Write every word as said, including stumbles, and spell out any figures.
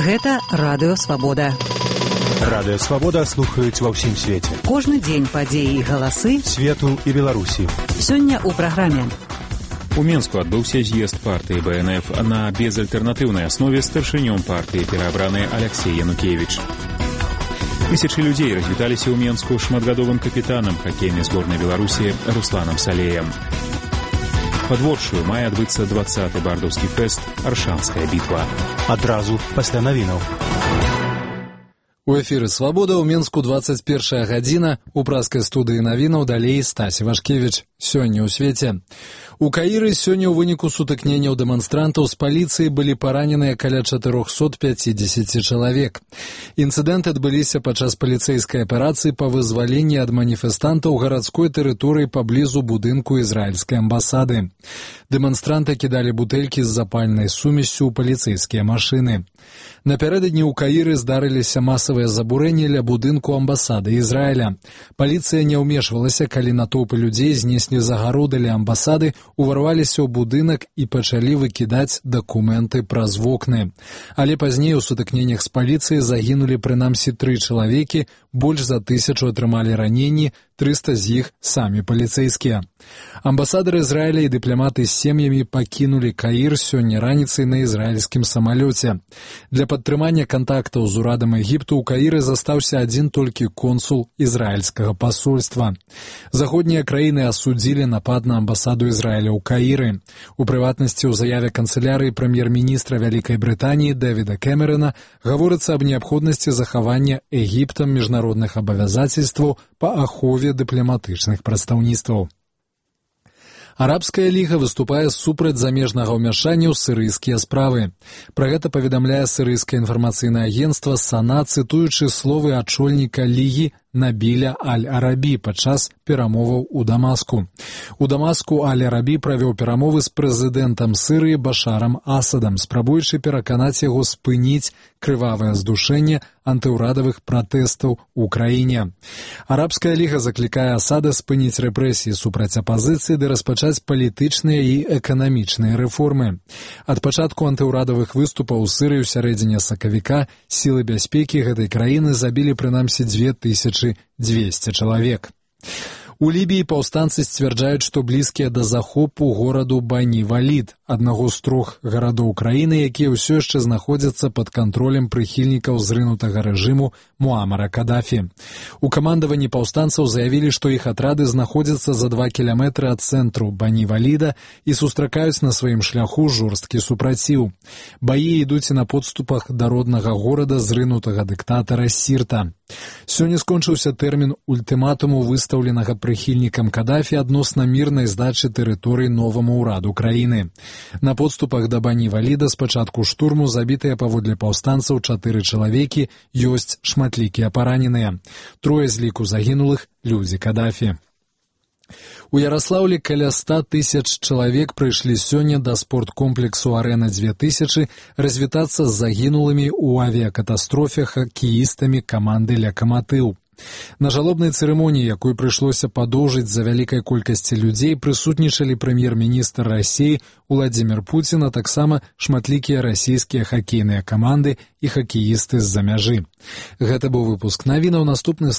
Гэта Радыё Свабода. Радыё Свабода слухаюць ва ўсім свеце. Кожны дзень падзеі і галасы свету і Беларусі. Сёння ў праграме. У Менску адбыўся з'езд партыі бэ эн эф на безальтэрнатыўнай аснове старшынём партыі пераабраны Алексей Янукевич. Тысячы людзей развіталіся ў Менску шматгадовым капітанам хакейнай зборнай Беларусі Русланам Салеем. Пад Воршаю мае адбыцца дваццаты бардаўскі фэст «Аршанская бітва». Адразу пасля навінаў. У эфіры «Свабода» ў Менску дваццаць першая гадзіна. У праскай студыі навінаў далей Стасі Вашкевіч. Сёння ў свеце. У Каіры сёння ў выніку сутыкненняў дэманстрантаў з паліцыі былі параненыя каля чатырохсот пяцідзесят чалавек. Інцыдэнты адбыліся падчас паліцэйскай аперацыі па вызваленні ад маніфестантаў гарадской тэрыторыі паблізу будынку ізраільскай амбасады. Дэманстранты кідалі бутэлькі з запальнай сумессю ў паліцэйскія машыны. Напярэдадні ў Каіры здарыліся масавыя забурэнні ля будынку амбасады Ізраіля. Паліцыя не ўмешвалася, калі натоўпы людзей знеслі загароды ля амбасады, уварваліся ў будынак і пачалі выкідаць дакументы праз вокны. Але пазней у сутыкненнях з паліцыяй загінулі прынамсі тры чалавекі, больш за тысячу атрымалі раненні, трыста з іх самі паліцэйскія. Амбасадар Ізраіля і дыпламаты з сем'ямі пакінулі Каір сёння раніцай на ізраільскім самалёце. Для падтрымання кантактаў з урадам Егіпту ў Каіры застаўся адзін толькі консул ізраільскага пасольства. Заходнія краіны асудзілі напад на амбасаду Ізраіля ў Каіры. У прыватнасці, ў заяве канцылярыі прэм'ер-міністра Вялікай Брытаніі Дэвіда Кэмерона гаворыцца аб неабходнасці захавання Егіптам міжнародных абавязацельстваў па ахове дыпламатычных прадстаўніцтваў. Арабская ліга выступае супраць замежнага ўмяшання ў сірыйскія справы. Пра гэта паведамляе сірыйскае інфармацыйнае агенцтва САНА, цытуючы словы ачольніка лігі Набіля Аль-Арабі падчас перамоваў у Дамаску. У Дамаску Аль-Арабі правёў перамовы з прэзідэнтам Сырыі Башарам Асадам, спрабуючы пераканаць яго спыніць крывавае здушэнне антыўрадавых пратэстаў у краіне. Арабская ліга заклікае Асада спыніць рэпрэсіі супраць апазіцыі ды распачаць палітычныя і эканамічныя рэформы. Ад пачатку антыўрадавых выступаў у Сырыі ў сярэдзіне сакавіка сілы бяспекі гэтай краіны забілі прынамсі дзве тысячы дзвесце чалавек. У Лібіі паўстанцы сцвярджаюць, што блізкія да захопу гораду Бані-Валід, аднаго з трох гарадоў краіны, якія ўсё яшчэ знаходзяцца пад кантролем прыхільнікаў зрынутага рэжыму Муамара Кадафі. У камандаванні паўстанцаў заявілі, што іх атрады знаходзяцца за два кіламетры ад цэнтру Бані-Валіда і сустракаюць на сваім шляху жорсткі супраціў. Баі ідуць на подступах да роднага горада зрынутага дыктатара Сірта. Сёння скончыўся тэрмін ультыматуму, выстаўленага прыхільнікам Кадафі адносна мірнай здачы тэрыторый новаму ўраду краіны. На подступах да Бані-Валіда з пачатку штурму забітыя паводле паўстанцаў чатыры чалавекі, ёсць шматлікія параненыя. Трое з ліку загінулых людзі Кадафі. У Яраслаўлі каля ста тысяч чалавек прыйшлі сёння да спорткомплексу «Арэна дзве тысячы» развітацца з загінулымі ў авіякатастрофе хакеістамі каманды «Лакаматыў». На жалобнай цырымоніі, якой прыйшлося падоўжыць з-за вялікай колькасці людзей, прысутнічалі прэм'ер-міністр Расіі Уладзімір Пуцін, а таксама шматлікія расійскія хакейныя каманды і хакеісты з-за мяжы. Гэта быў выпуск навінаў. Наступны